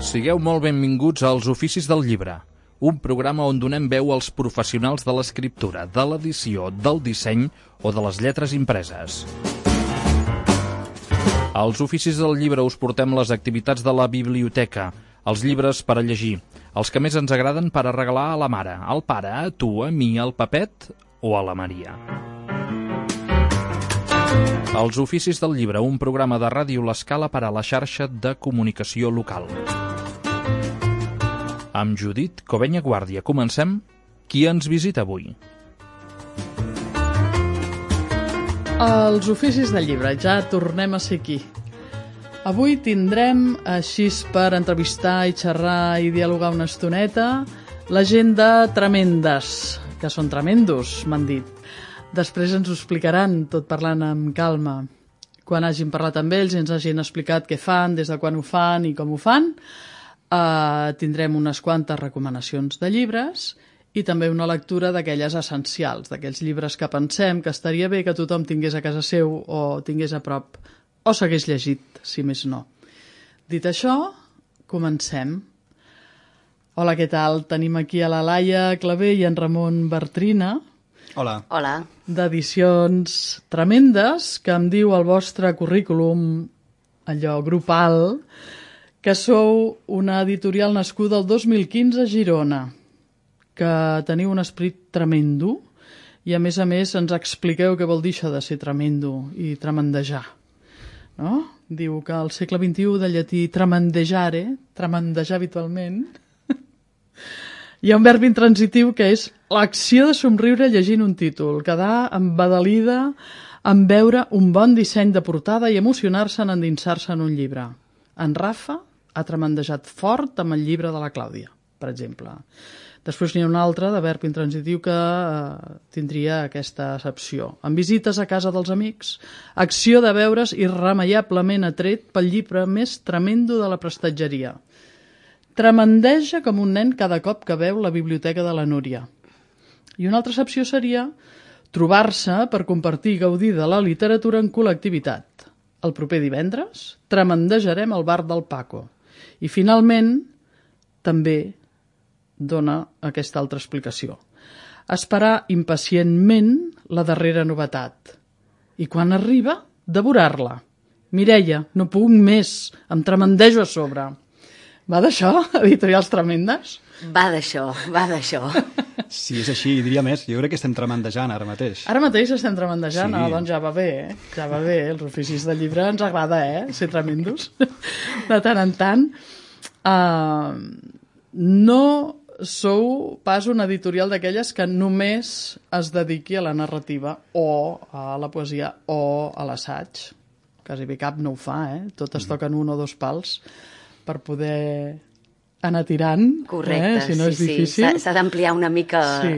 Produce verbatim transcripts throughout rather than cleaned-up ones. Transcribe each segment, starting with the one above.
Sigueu molt benvinguts als Oficis del Llibre, un programa on donem veu als professionals de l'escriptura, de l'edició, del disseny o de les lletres impreses. Als Oficis del Llibre us portem les activitats de la biblioteca, els llibres per a llegir, els que més ens agraden per a regalar a la mare, al pare, a tu, a mi, al Pepet o a la Maria. Els Oficis del Llibre, un programa de Ràdio L'Escala per a la xarxa de comunicació local. Amb Judit Covenya Guàrdia. Comencem. Qui ens visita avui? Els Oficis del Llibre. Ja tornem a ser aquí. Avui tindrem, així per entrevistar i xerrar i dialogar una estoneta, la gent de Tremendes, que són tremendos, m'han dit. Després ens ho explicaran, tot parlant amb calma. Quan hagin parlat amb ells i ens hagin explicat què fan, des de quan ho fan i com ho fan, Uh, tindrem unes quantes recomanacions de llibres i també una lectura d'aquelles essencials, d'aquells llibres que pensem que estaria bé que tothom tingués a casa seu o tingués a prop o s'hagués llegit, si més no. Dit això, comencem. Hola, què tal? Tenim aquí a la Laia Clavé i en Ramon Bartrina. Hola. Hola. D'Edicions Tremendes, que em diu el vostre currículum, allò grupal, que sou una editorial nascuda el dos mil quinze a Girona, que teniu un esperit tremendo i, a més a més, ens expliqueu què vol dir això de ser tremendo i tremendejar. No? Diu que al segle vint-i-u, de llatí tremendejare, tremendejar habitualment, hi ha un verb intransitiu que és l'acció de somriure llegint un títol, quedar embadalida en veure un bon disseny de portada i emocionar-se en endinsar-se en un llibre. En Rafa ha tremendejat fort amb el llibre de la Clàudia, per exemple. Després n'hi ha un altre de verb intransitiu que eh, tindria aquesta accepció. En visites a casa dels amics, acció de veure's irremeiablement atret pel llibre més tremendo de la prestatgeria. Tremendeja com un nen cada cop que veu la biblioteca de la Núria. I una altra accepció seria trobar-se per compartir i gaudir de la literatura en col·lectivitat. El proper divendres tremendejarem el bar del Paco. I finalment també dona aquesta altra explicació. Esperar impacientment la darrera novetat. I quan arriba, devorar-la. Mireia, no puc més, em tremendejo a sobre. Va d'això, Editorials Tremendes? Va d'això, va d'això. Si és així, diria més. Jo crec que estem tremendejant ara mateix. Ara mateix estem tremendejant? Sí. Ah, doncs ja va bé, eh? Ja va bé, els Oficis del Llibre ens agrada, eh? Ser tremendos. De tant en tant. Uh, no sou pas una editorial d'aquelles que només es dediqui a la narrativa o a la poesia o a l'assaig. Quasi bé cap no ho fa, eh? Totes mm. toquen un o dos pals per poder anar tirant. Correcte, eh? Si no sí, és difícil. sí. S'ha d'ampliar una mica sí.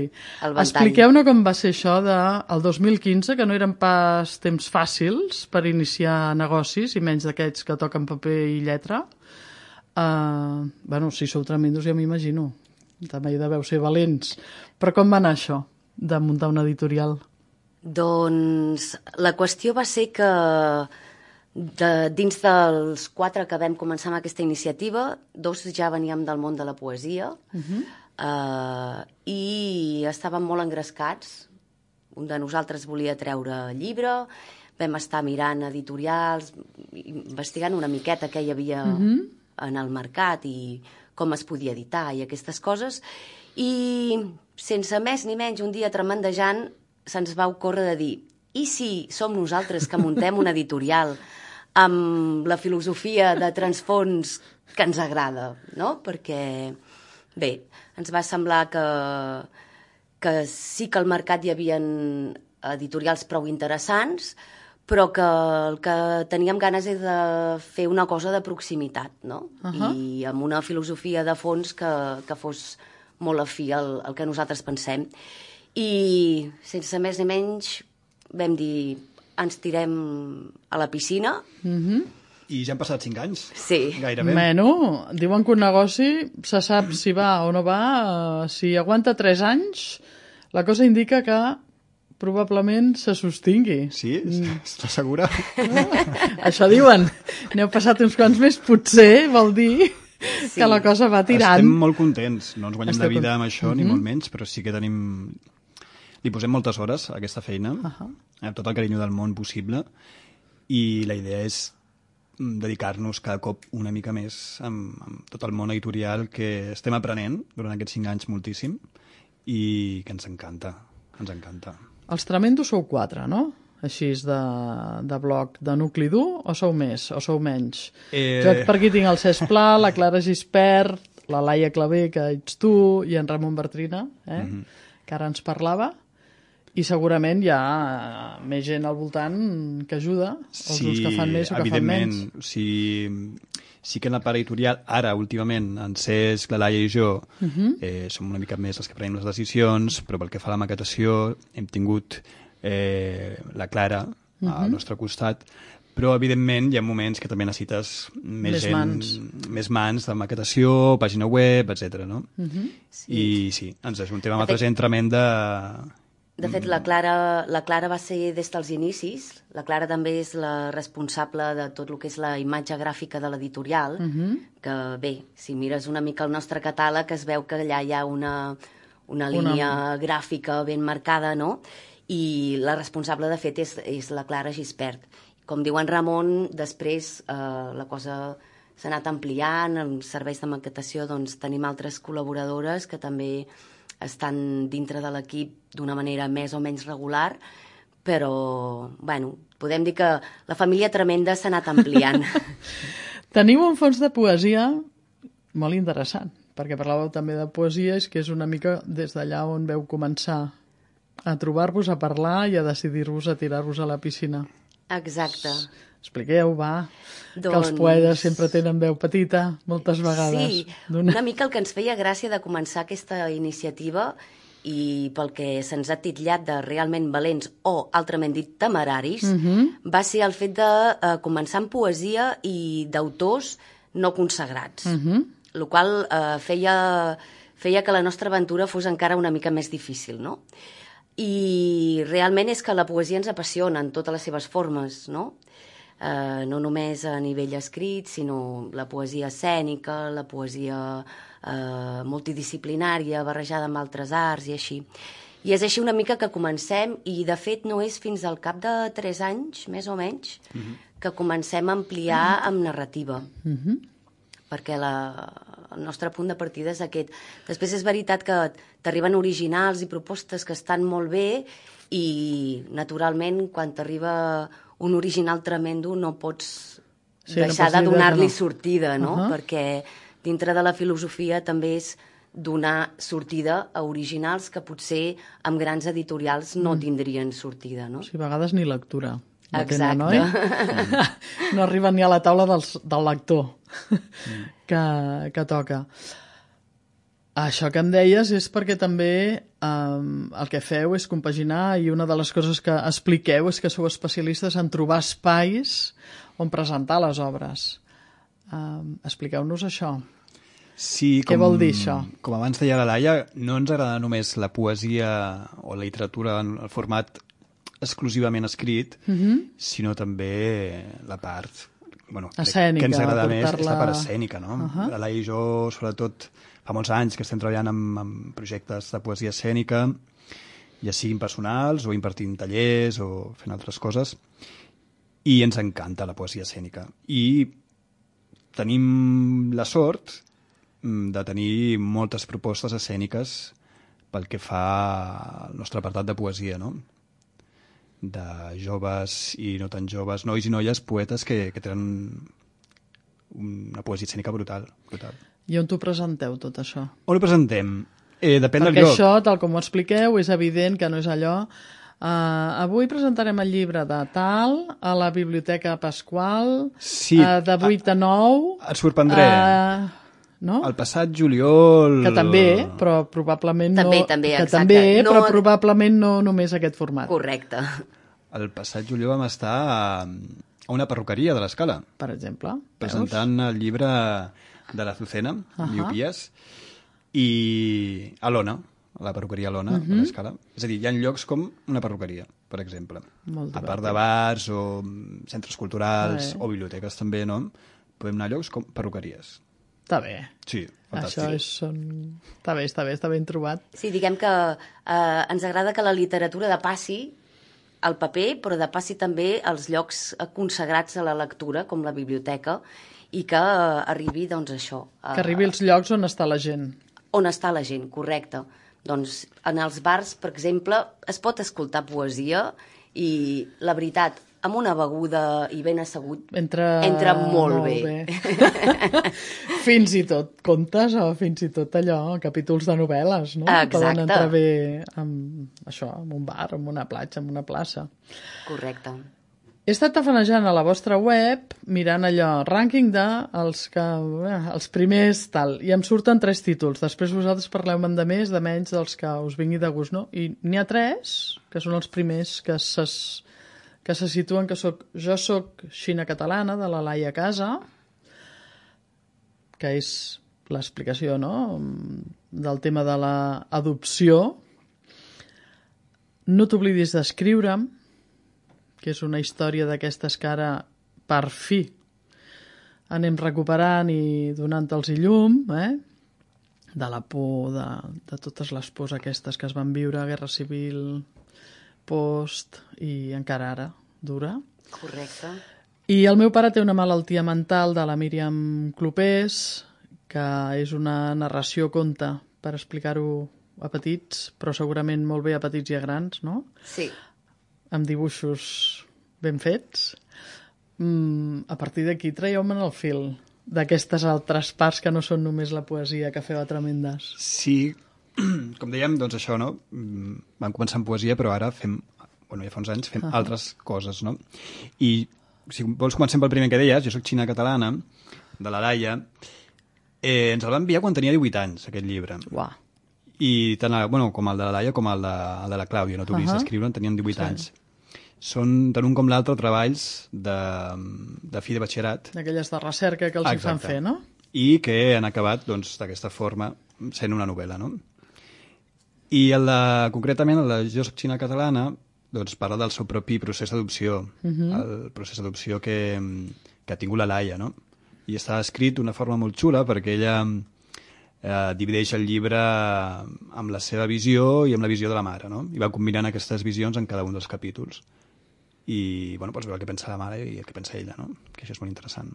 el ventall. Expliqueu-ne com va ser això del dos mil quinze, que no eren pas temps fàcils per iniciar negocis, i menys d'aquests que toquen paper i lletra. Uh, bueno, si sou tremendos ja m'imagino. També hi deveu ser valents. Però com va anar això, de muntar una editorial? Doncs la qüestió va ser que de, dins dels quatre que vam començar amb aquesta iniciativa, dos ja veníem del món de la poesia uh-huh. uh, i estàvem molt engrescats. Un de nosaltres volia treure llibre, vam estar mirant editorials, investigant una miqueta què hi havia uh-huh. en el mercat i com es podia editar i aquestes coses, i sense més ni menys un dia tremendejant se'ns va ocórrer de dir: i si som nosaltres que muntem una editorial amb la filosofia de transfons que ens agrada, no? Perquè, bé, ens va semblar que, que sí que al mercat hi havia editorials prou interessants, però que el que teníem ganes és de fer una cosa de proximitat, no? Uh-huh. I amb una filosofia de fons que, que fos molt afí al, al que nosaltres pensem. I sense més ni menys vam dir: ens tirem a la piscina. Uh-huh. I ja han passat cinc anys. Sí. Gairebé. Bueno, diuen que un negoci se sap si va o no va. Si aguanta tres anys, la cosa indica que probablement se sostingui. Sí? Estàs segura? Això diuen. N'heu passat uns quants més, potser vol dir Sí. que la cosa va tirant. Estem molt contents, no ens guanyem Esteu de vida cont- amb això, ni molt menys, però sí que tenim... Li posem moltes hores a aquesta feina, Ahà. amb tot el carinyo del món possible, i la idea és mm, dedicar-nos cada cop una mica més amb, amb tot el món editorial que estem aprenent durant aquests cinc anys moltíssim i que ens encanta, ens encanta. Els tremendos sou quatre, no? Així de, de bloc de nucli dur, o sou més, o sou menys? Eh... Jo per aquí tinc el Cesc Pla, la Clara Gispert, la Laia Clavé, que ets tu, i en Ramon Bertrina, eh? Mhm. que ara ens parlava, i segurament hi ha més gent al voltant que ajuda, els grups que fan més o que fan menys. Evidentment. O sigui, sí que en la part editorial, ara, últimament, en Cesc, la Laia i jo, uh -huh. eh, som una mica més els que prenem les decisions, però pel que fa a la maquetació hem tingut eh, la Clara uh -huh. al nostre costat, però evidentment hi ha moments que també necessites més, Més gent, mans. més mans de maquetació, pàgina web, etcètera. No? Uh -huh. Sí. I sí, ens ajuntem amb De altra fet- gent tremenda. De fet, la Clara, la Clara va ser des dels inicis. La Clara també és la responsable de tot el que és la imatge gràfica de l'editorial, uh -huh. que bé, si mires una mica el nostre catàleg es veu que allà hi ha una, una línia una... gràfica ben marcada, no? I la responsable, de fet, és, és la Clara Gispert. Com diu en Ramon, després eh, la cosa s'ha anat ampliant, en serveis de maquetació doncs, tenim altres col·laboradores que també estan dintre de l'equip d'una manera més o menys regular, però, bueno, podem dir que la família tremenda s'ha anat ampliant. Teniu un fons de poesia molt interessant, perquè parlàveu també de poesia, és que és una mica des d'allà on veu començar a trobar-vos, a parlar i a decidir-vos a tirar-vos a la piscina. Exacte. Expliqueu, va, Doncs... que els poetes sempre tenen veu petita, moltes vegades. Sí, D'una- una mica el que ens feia gràcia de començar aquesta iniciativa i pel que se'ns ha titllat de realment valents o, altrament dit, temeraris, uh -huh. va ser el fet de eh, començar amb poesia i d'autors no consagrats, uh -huh. el qual eh, feia, feia que la nostra aventura fos encara una mica més difícil, no? I realment és que la poesia ens apassiona en totes les seves formes, no? Eh, no només a nivell escrit, sinó la poesia escènica, la poesia eh, multidisciplinària, barrejada amb altres arts i així. I és així una mica que comencem, i de fet no és fins al cap de tres anys, més o menys, uh-huh. que comencem a ampliar amb narrativa. Uh-huh. Perquè la, el nostre punt de partida és aquest. Després és veritat que t'arriben originals i propostes que estan molt bé i, naturalment, quan t'arriba un original tremendo no pots Sí, no deixar pots de dir que donar-li no. sortida, no? Uh-huh. Perquè dintre de la filosofia també és donar sortida a originals que potser amb grans editorials no tindrien sortida, no? Sí, a vegades ni lectura. No Exacte. tenen, oi? No arriben ni a la taula dels, del lector que, que toca. Això que em deies és perquè també um, el que feu és compaginar, i una de les coses que expliqueu és que sou especialistes en trobar espais on presentar les obres. Um, expliqueu-nos això. Sí, Què com, vol dir això? Com abans deia la Laia, no ens agrada només la poesia o la literatura en el format exclusivament escrit, uh -huh. sinó també la part bueno, escènica, que ens agrada més és portar-la- la part escènica. No? Uh -huh. La Laia i jo, sobretot, fa molts anys que estem treballant amb, amb projectes de poesia escènica, ja siguin personals o impartint tallers o fent altres coses, i ens encanta la poesia escènica. I tenim la sort de tenir moltes propostes escèniques pel que fa al nostre apartat de poesia, no? De joves i no tan joves, nois i noies, poetes que, que tenen una poesia escènica brutal, brutal. I on t'ho presenteu, tot això? On ho presentem? Eh, depèn Perquè del lloc. això, tal com ho expliqueu, és evident que no és allò. Uh, avui presentarem el llibre de tal a la Biblioteca Pasqual, Sí, uh, de vuit a nou. Et sorprendré. Uh, no? El passat juliol... Que també, però probablement També, no... també, que exacte. també, No- però probablement no només aquest format. Correcte. El passat juliol vam estar a, a una perruqueria de l'Escala, Per exemple. presentant el llibre de l'Azucena, uh -huh. Miopías, i a l'Ona, a la perruqueria Lona, uh -huh. a l'Escala. És a dir, hi ha llocs com una perruqueria, per exemple. Molt a part divertit. de bars o centres culturals Eh. o biblioteques també, no? Podem anar a llocs com perruqueries. Està bé. Sí, fantàstic. Això és... Són... Està bé, està bé, està ben trobat. Sí, diguem que eh, ens agrada que la literatura depassi el paper, però depassi també els llocs consagrats a la lectura, com la biblioteca, i que eh, arribi, doncs, això. Eh, Que arribi als llocs on està la gent. On està la gent, correcte. Doncs en els bars, per exemple, es pot escoltar poesia i, la veritat, amb una beguda i ben assegut, Entra, entra molt, molt bé. bé. Fins i tot contes o fins i tot allò, capítols de novel·les, no? Exacte. Poden entrar bé amb això, en un bar, en una platja, en una plaça. Correcte. He estat tafanejant a la vostra web, mirant allò, rànquing de els, que, eh, els primers tal, i em surten tres títols. Després vosaltres parleu-me'n de més, de menys, dels que us vingui de gust, no? I n'hi ha tres, que són els primers que se, que se situen, que soc, jo soc Xina Catalana, de la Laia Casa, que és l'explicació, no?, del tema de l'adopció. No t'oblidis d'escriure'm, que és una història d'aquestes que ara, per fi, anem recuperant i donant-los llum, eh? De la por, de, de totes les pors aquestes que es van viure, guerra civil, post, i encara ara dura. Correcte. I el meu pare té una malaltia mental de la Míriam Clopés, que és una narració conte, per explicar-ho a petits, però segurament molt bé a petits i a grans, no? Sí. Amb dibuixos ben fets. Mm, a partir d'aquí traieu-me'n el fil d'aquestes altres parts que no són només la poesia que feu a Tremendes. Sí, com dèiem, doncs això, no? Vam començar amb poesia, però ara fem, bueno, ja fa uns anys, fem uh -huh. altres coses, no? I si vols comencem pel primer que deies, jo soc Xina Catalana, de la Laia, eh, ens el va enviar quan tenia divuit anys, aquest llibre. Uau. I tant el, bueno, com el de la Laia com el de, el de la Clàudia, no t'oblidis uh -huh. d'escriure, tenien divuit sí. anys. Són, tant un com l'altre, treballs de, de fi de batxillerat. D'aquelles de recerca que els hi fan fer, no? I que han acabat, doncs, d'aquesta forma, sent una novel·la, no? I el de, concretament, el de Jo soc Xina Catalana, doncs parla del seu propi procés d'adopció, uh -huh. el procés d'adopció que, que ha tingut la Laia, no? I està escrit d'una forma molt xula perquè ella eh, divideix el llibre amb la seva visió i amb la visió de la mare, no? I va combinant aquestes visions en cada un dels capítols. I, bueno, pots veure el que pensa la mare i el que pensa ella, no? Que això és molt interessant.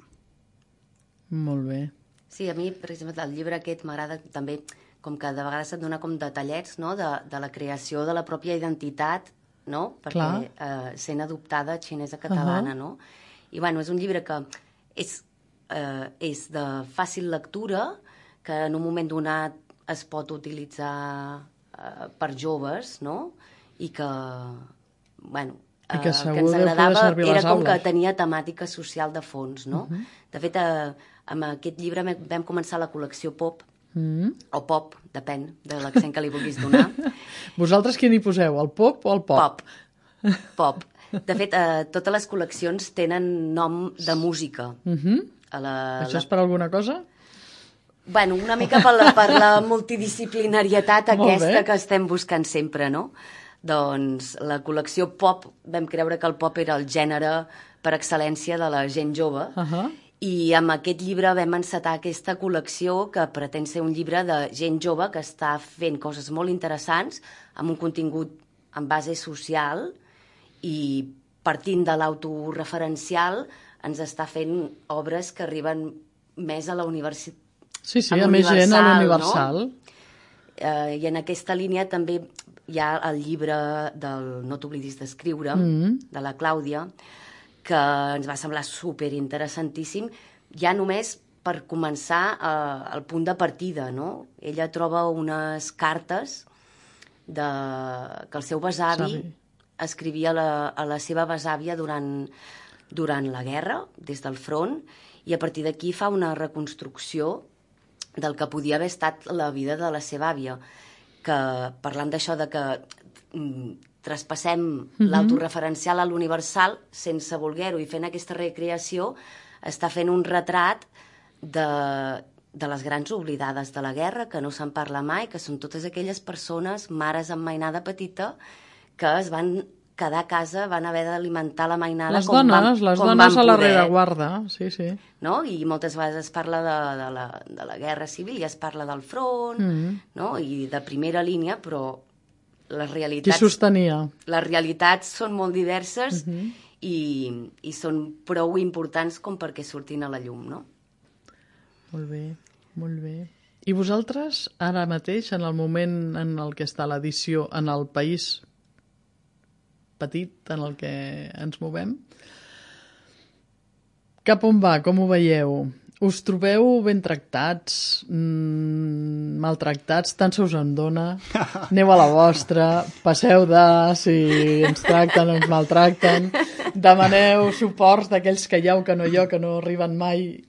Molt bé. Sí, a mi, per exemple, el llibre aquest m'agrada també, com que de vegades et dona com detallets, no?, de, de la creació de la pròpia identitat, no?, perquè eh, sent adoptada xinesa catalana, uh -huh. no? I, bueno, és un llibre que és, eh, és de fàcil lectura, que en un moment donat es pot utilitzar eh, per joves, no?, i que, bueno, I que, eh, segur que ens deu poder agradava, servir a les era com aules. que tenia temàtica social de fons, no? Uh -huh. De fet, eh, amb aquest llibre vam començar la col·lecció Pop, mm. o Pop, depèn de l'accent que li vulguis donar. Vosaltres quin hi poseu, el pop o el pop? Pop. Pop. De fet, eh, totes les col·leccions tenen nom de música. Mm -hmm. a la, Això la... és per alguna cosa? Bueno, una mica per la, per la multidisciplinarietat aquesta que estem buscant sempre, no? Doncs la col·lecció Pop, vam creure que el pop era el gènere per excel·lència de la gent jove, uh -huh. i amb aquest llibre vam encetar aquesta col·lecció que pretén ser un llibre de gent jove que està fent coses molt interessants, amb un contingut en base social, i partint de l'autoreferencial ens està fent obres que arriben més a la universitat. Sí, sí, a, a més gent a l'universal. No? Eh, I en aquesta línia també hi ha el llibre del No t'oblidis d'escriure, mm. de la Clàudia, que ens va semblar superinteressantíssim, ja només per començar eh, el punt de partida, no? Ella troba unes cartes de... que el seu besavi Sabi. escrivia a la, a la seva besàvia durant, durant la guerra, des del front, i a partir d'aquí fa una reconstrucció del que podia haver estat la vida de la seva àvia, que parlant d'això de que mm, traspassem mm-hmm. l'autoreferencial a l'universal sense voler-ho i fent aquesta recreació, està fent un retrat de, de les grans oblidades de la guerra, que no se'n parla mai, que són totes aquelles persones, mares amb mainada petita, que es van cada casa van haver d'alimentar la mainada Les com dones, van, les com dones van a la poder. rereguarda, sí, sí. No? I moltes vegades es parla de, de, la, de la guerra civil i es parla del front, Mm. no? I de primera línia, però les Qui realitats, sostenia? les realitats són molt diverses Mhm. i, i són prou importants com perquè surtin a la llum, no? Molt bé, molt bé. I vosaltres, ara mateix, en el moment en el que està l'edició, en el país petit en el que ens movem, cap on va? Com ho veieu? Us trobeu ben tractats, mm, maltractats, tant se us en dona, aneu a la vostra, passeu de si ens tracten o ens maltracten, demaneu suports d'aquells que hi ha o que no hi ha, que no arriben mai.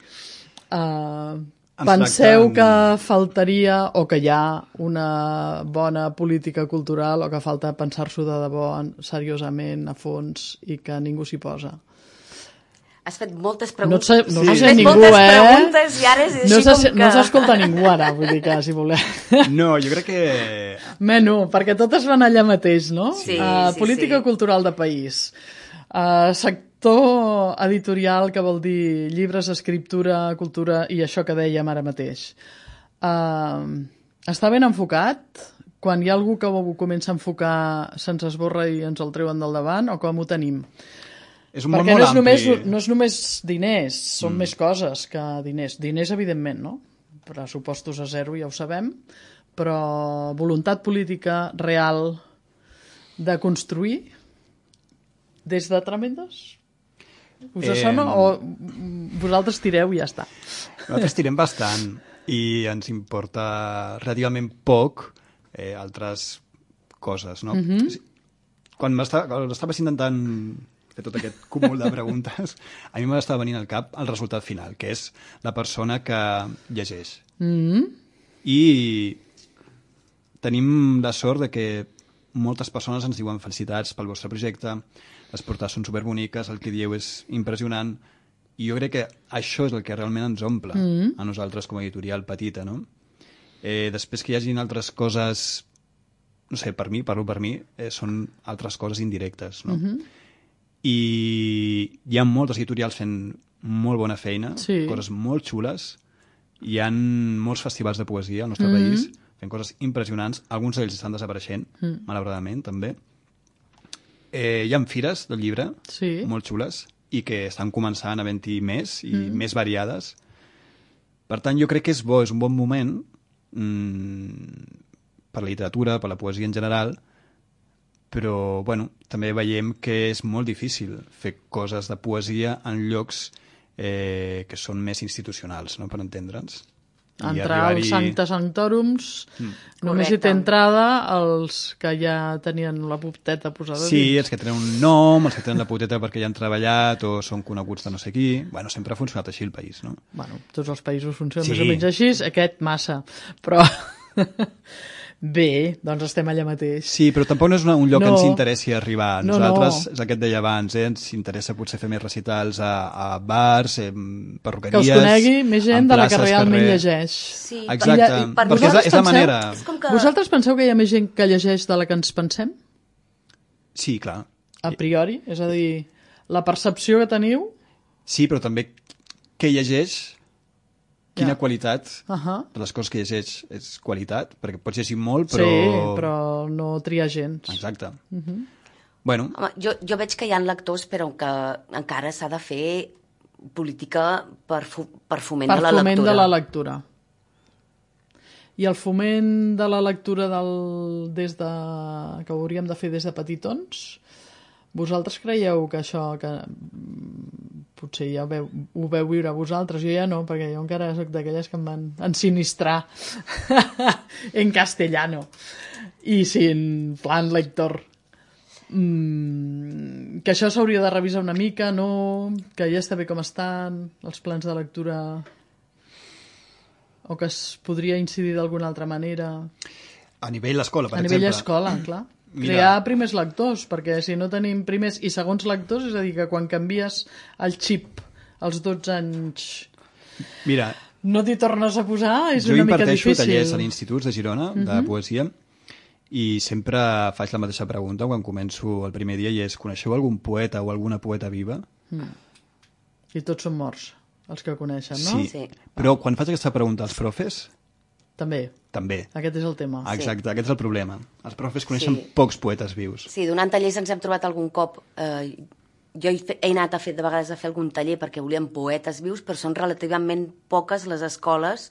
Uh, penseu tracten- que faltaria o que hi ha una bona política cultural o que falta pensar-s'ho de debò en- seriosament, a fons, i que ningú s'hi posa? Has fet moltes No, preguntes. et sa- no Sí. se Has sent fet ningú, moltes eh? preguntes i ara és així No com se- que... no s'escolta ningú ara, vull dir que si voleu... No, jo crec que... Menú, perquè totes van allà mateix, no? Sí, uh, sí, política sí. cultural de país. Uh, sector editorial, que vol dir llibres, escriptura, cultura i això que dèiem ara mateix. Uh, està ben enfocat? Quan hi ha algú que ho comença a enfocar se'ns esborra i ens el treuen del davant, o com ho tenim? És un món Perquè molt no és, només, ampli. no és només diners, són mm. més coses que diners. Diners, evidentment, no? Pressupostos a zero, ja ho sabem, però voluntat política real de construir des de Tremendes? Us Eh, sona o vosaltres tireu i ja està? Nosaltres tirem bastant i ens importa relativament poc eh, altres coses, no? Mhm. Quan m'estava- quan estaves intentant fer tot aquest cúmul de preguntes, a mi m'estava venint al cap el resultat final, que és la persona que llegeix. Mm. I tenim la sort de que moltes persones ens diuen felicitats pel vostre projecte, les portades són superboniques, el que dieu és impressionant, i jo crec que això és el que realment ens omple Mm. a nosaltres com a editorial petita, no? Eh, després que hi hagin altres coses, no sé, per mi, parlo per mi, eh, són altres coses indirectes, no? Mhm. I hi ha moltes editorials fent molt bona feina, Sí. coses molt xules. Hi ha molts festivals de poesia al nostre Mhm. país fent coses impressionants. Alguns d'ells estan desapareixent, Mm. malauradament, també. Eh, hi ha fires del llibre Sí. molt xules i que estan començant a havent-hi més i Mm. més variades. Per tant, jo crec que és bo, és un bon moment mmm, per la literatura, per la poesia en general, però bueno, també veiem que és molt difícil fer coses de poesia en llocs eh, que són més institucionals, no?, per entendre'ns. I Entrar arribar-hi- als Sancta Sanctorums Mm. només hi té Correcte. entrada els que ja tenien la puteta posada Sí, dins. els que tenen un nom, els que tenen la puteta perquè ja han treballat o són coneguts de no sé qui. Bueno, sempre ha funcionat així el país, no? Bueno, tots els països funcionen Sí. més o menys així, aquest massa. Però bé, doncs estem allà mateix. Sí, però tampoc no és una, un lloc No. que ens interessi arribar. A No, nosaltres, no. és el que et deia abans, eh? Ens interessa potser fer més recitals a, a bars, eh, Que perruqueries... us conegui més gent en de la que places, realment carrer. llegeix. Sí, Exacte, I ja- i per perquè és la, vosaltres és la penseu- manera... és com que... Vosaltres penseu que hi ha més gent que llegeix de la que ens pensem? Sí, clar. A priori? És a dir, la percepció que teniu... Sí, però també què llegeix, quina Ja. qualitat Uh -huh. de les coses que llegeix és qualitat, perquè pots llegir molt, però... Sí, però no triar gens. Exacte. Uh -huh. Bueno, Home, jo, jo veig que hi ha lectors, però que encara s'ha de fer política per, fo per foment Per de la foment lectura. de la lectura. I el foment de la lectura del, des de, que ho hauríem de fer des de petitons, vosaltres creieu que això, que mm, potser ja ho veu, ho veu viure vosaltres, jo ja no, perquè jo encara soc d'aquelles que em van ensinistrar en castellano i sin plan lector. Mm, que això s'hauria de revisar una mica, no? Que ja està bé com estan els plans de lectura, o que es podria incidir d'alguna altra manera a nivell escola, per a nivell exemple. escola, clar. Mira. Crear primers lectors, perquè si no tenim primers i segons lectors, és a dir, que quan canvies el xip als dotze anys Mira, no t'hi tornes a posar, és jo una mica imparteixo difícil. tallers a l'instituts de Girona, de Mhm. poesia, i sempre faig la mateixa pregunta quan començo el primer dia i és: coneixeu algun poeta o alguna poeta viva? Mm. I tots són morts, els que coneixen, no? Sí, sí. Però quan faig aquesta pregunta als profes... També. També. Aquest és el tema. Exacte, sí. Aquest és el problema. Els profes coneixen sí. pocs poetes vius. Sí, donant tallers ens hem trobat algun cop... Eh, jo he, he anat a fer, de vegades a fer algun taller perquè volíem poetes vius, però són relativament poques les escoles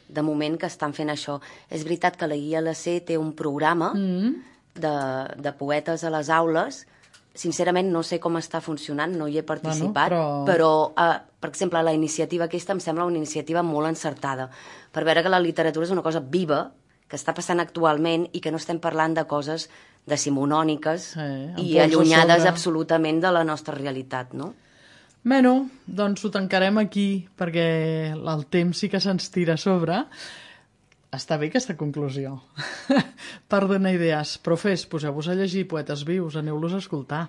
de moment que estan fent això. És veritat que la I L C té un programa mm. de, de poetes a les aules. Sincerament no sé com està funcionant, no hi he participat, bueno, però, però eh, per exemple, la iniciativa aquesta em sembla una iniciativa molt encertada, per veure que la literatura és una cosa viva, que està passant actualment i que no estem parlant de coses decimonòniques eh, i allunyades absolutament de la nostra realitat, no? Bueno, doncs ho tancarem aquí, perquè el temps sí que se'ns tira a sobre. Està bé aquesta conclusió. Per donar idees. Profes, poseu-vos a llegir poetes vius, aneu-los a escoltar.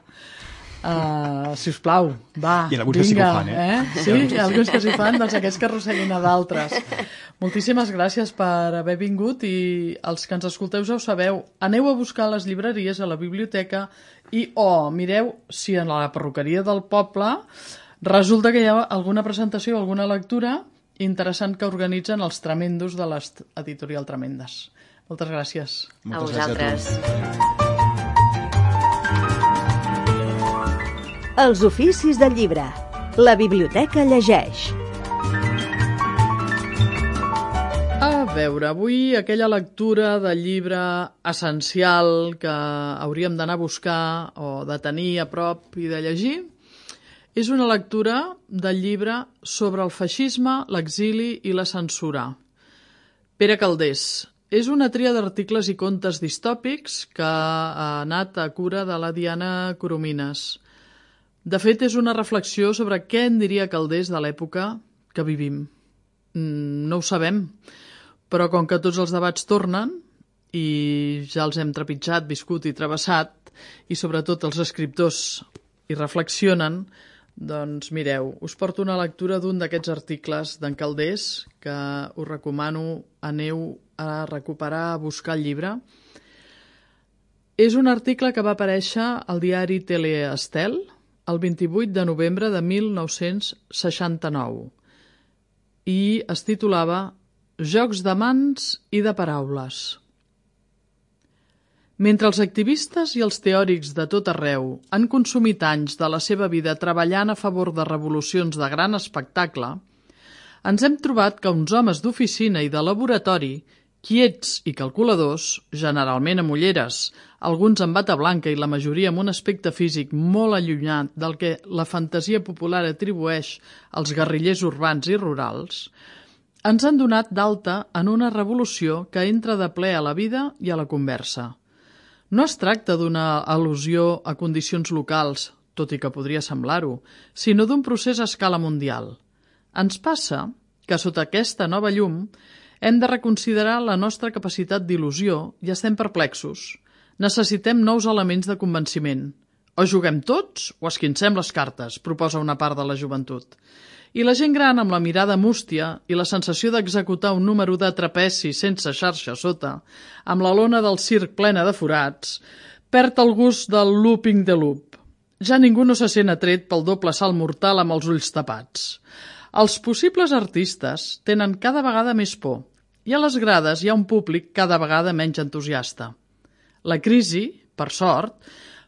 Uh, si us plau, va, I alguns vinga. Que sí que ho fan, eh? eh? Sí, hi ha alguns que s'hi fan, doncs aquests que arrosseguin a d'altres. Moltíssimes gràcies per haver vingut i els que ens escolteu ja ho sabeu. Aneu a buscar a les llibreries, a la biblioteca i, oh, mireu si en la perruqueria del poble resulta que hi ha alguna presentació, alguna lectura interessant que organitzen els tremendos de l'editorial Tremendes. Moltes gràcies. A vosaltres. Els oficis del llibre. La biblioteca llegeix. A veure, avui aquella lectura del llibre essencial que hauríem d'anar a buscar o de tenir a prop i de llegir és una lectura del llibre sobre el feixisme, l'exili i la censura. Pere Calders. És una tria d'articles i contes distòpics que ha anat a cura de la Diana Coromines. De fet, és una reflexió sobre què en diria Calders de l'època que vivim. No ho sabem, però com que tots els debats tornen, i ja els hem trepitjat, viscut i travessat, i sobretot els escriptors hi reflexionen, doncs mireu, us porto una lectura d'un d'aquests articles d'en Calders que us recomano, aneu a recuperar, a buscar el llibre. És un article que va aparèixer al diari Teleestel el vint-i-vuit de novembre de mil nou-cents seixanta-nou i es titulava Jocs de mans i de paraules. Mentre els activistes i els teòrics de tot arreu han consumit anys de la seva vida treballant a favor de revolucions de gran espectacle, ens hem trobat que uns homes d'oficina i de laboratori, quiets i calculadors, generalment amb ulleres, alguns amb bata blanca i la majoria amb un aspecte físic molt allunyat del que la fantasia popular atribueix als guerrillers urbans i rurals, ens han donat d'alta en una revolució que entra de ple a la vida i a la conversa. No es tracta d'una al·lusió a condicions locals, tot i que podria semblar-ho, sinó d'un procés a escala mundial. Ens passa que sota aquesta nova llum hem de reconsiderar la nostra capacitat d'il·lusió i estem perplexos. Necessitem nous elements de convenciment. O juguem tots o esquincem les cartes, proposa una part de la joventut. I la gent gran, amb la mirada mústia i la sensació d'executar un número de trapeci sense xarxa sota, amb la lona del circ plena de forats, perd el gust del looping de loop. Ja ningú no se sent atret pel doble salt mortal amb els ulls tapats. Els possibles artistes tenen cada vegada més por i a les grades hi ha un públic cada vegada menys entusiasta. La crisi, per sort,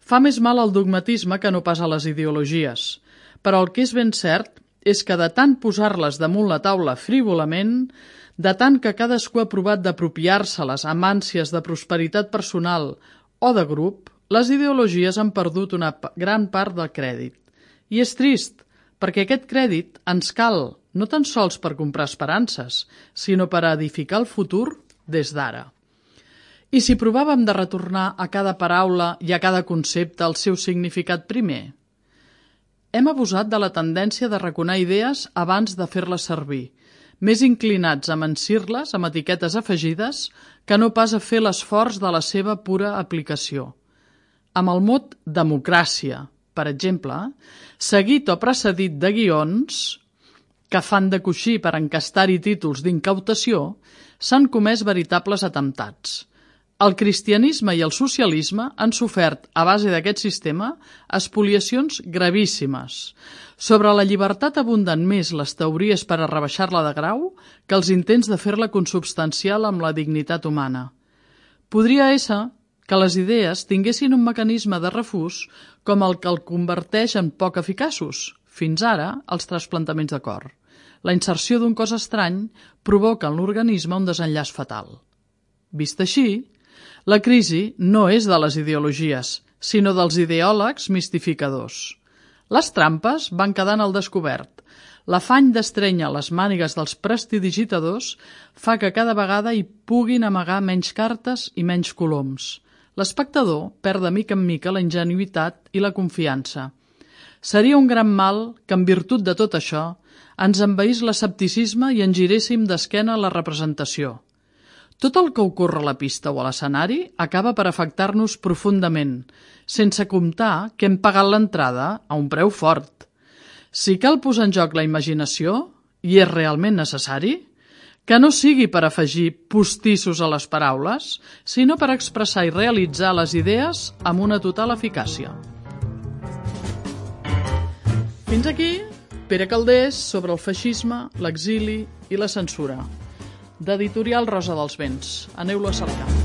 fa més mal al dogmatisme que no pas a les ideologies, però el que és ben cert és que de tant posar-les damunt la taula frívolament, de tant que cadascú ha provat d'apropiar-se-les amb ànsies de prosperitat personal o de grup, les ideologies han perdut una gran part del crèdit. I és trist, perquè aquest crèdit ens cal no tan sols per comprar esperances, sinó per edificar el futur des d'ara. I si provàvem de retornar a cada paraula i a cada concepte el seu significat primer? Hem abusat de la tendència de raconar idees abans de fer-les servir, més inclinats a mencir-les amb etiquetes afegides que no pas a fer l'esforç de la seva pura aplicació. Amb el mot democràcia, per exemple, seguit o precedit de guions que fan de coixí per encastar-hi títols d'incautació, s'han comès veritables atemptats. El cristianisme i el socialisme han sofert, a base d'aquest sistema, espoliacions gravíssimes. Sobre la llibertat abunden més les teories per a rebaixar-la de grau que els intents de fer-la consubstancial amb la dignitat humana. Podria ésser que les idees tinguessin un mecanisme de refús com el que el converteix en poc eficaços, fins ara, els trasplantaments de cor. La inserció d'un cos estrany provoca en l'organisme un desenllaç fatal. Vist així, la crisi no és de les ideologies, sinó dels ideòlegs mistificadors. Les trampes van quedant al descobert. L'afany d'estrènyer les mànigues dels prestidigitadors fa que cada vegada hi puguin amagar menys cartes i menys coloms. L'espectador perd de mica en mica la ingenuïtat i la confiança. Seria un gran mal que, en virtut de tot això, ens envaís l'escepticisme i en giréssim d'esquena a la representació. Tot el que ocorre a la pista o a l'escenari acaba per afectar-nos profundament, sense comptar que hem pagat l'entrada a un preu fort. Si cal posar en joc la imaginació, i és realment necessari, que no sigui per afegir postissos a les paraules, sinó per expressar i realitzar les idees amb una total eficàcia. Fins aquí, Pere Calders sobre el feixisme, l'exili i la censura. D'Editorial Rosa dels Vents. Aneu-lo a cercar.